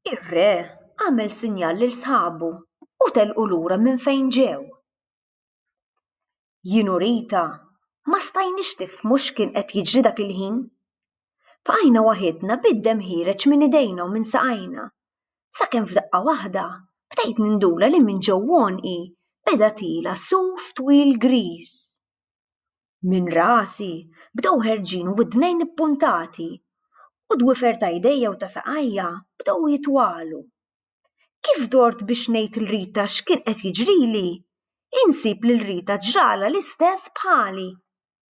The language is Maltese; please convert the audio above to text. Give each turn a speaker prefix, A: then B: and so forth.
A: Ir-re għamel sinjal lil sħabu u telqu lura minn fejn ġew. Jien u Rita ma stajniex nifhmu x'kien qed jiġri dak il-ħin. Bqajna waħidna bid-demm ħiereġ minn idejna u minn saqajna, sakemm f'daqqa waħda bdejt nindula li minn ġew għonqi beda tiela' suf twil griż. Minn rasi bdew ħerġin widnejn ippuntati u d-dwiefer ta' jdejja u ta' saqajja bdew jitwalu. Kif dort biex ngħid 'l Rita x'kien qed jiġrili, insib lil Rita ġralha l-istess bħali.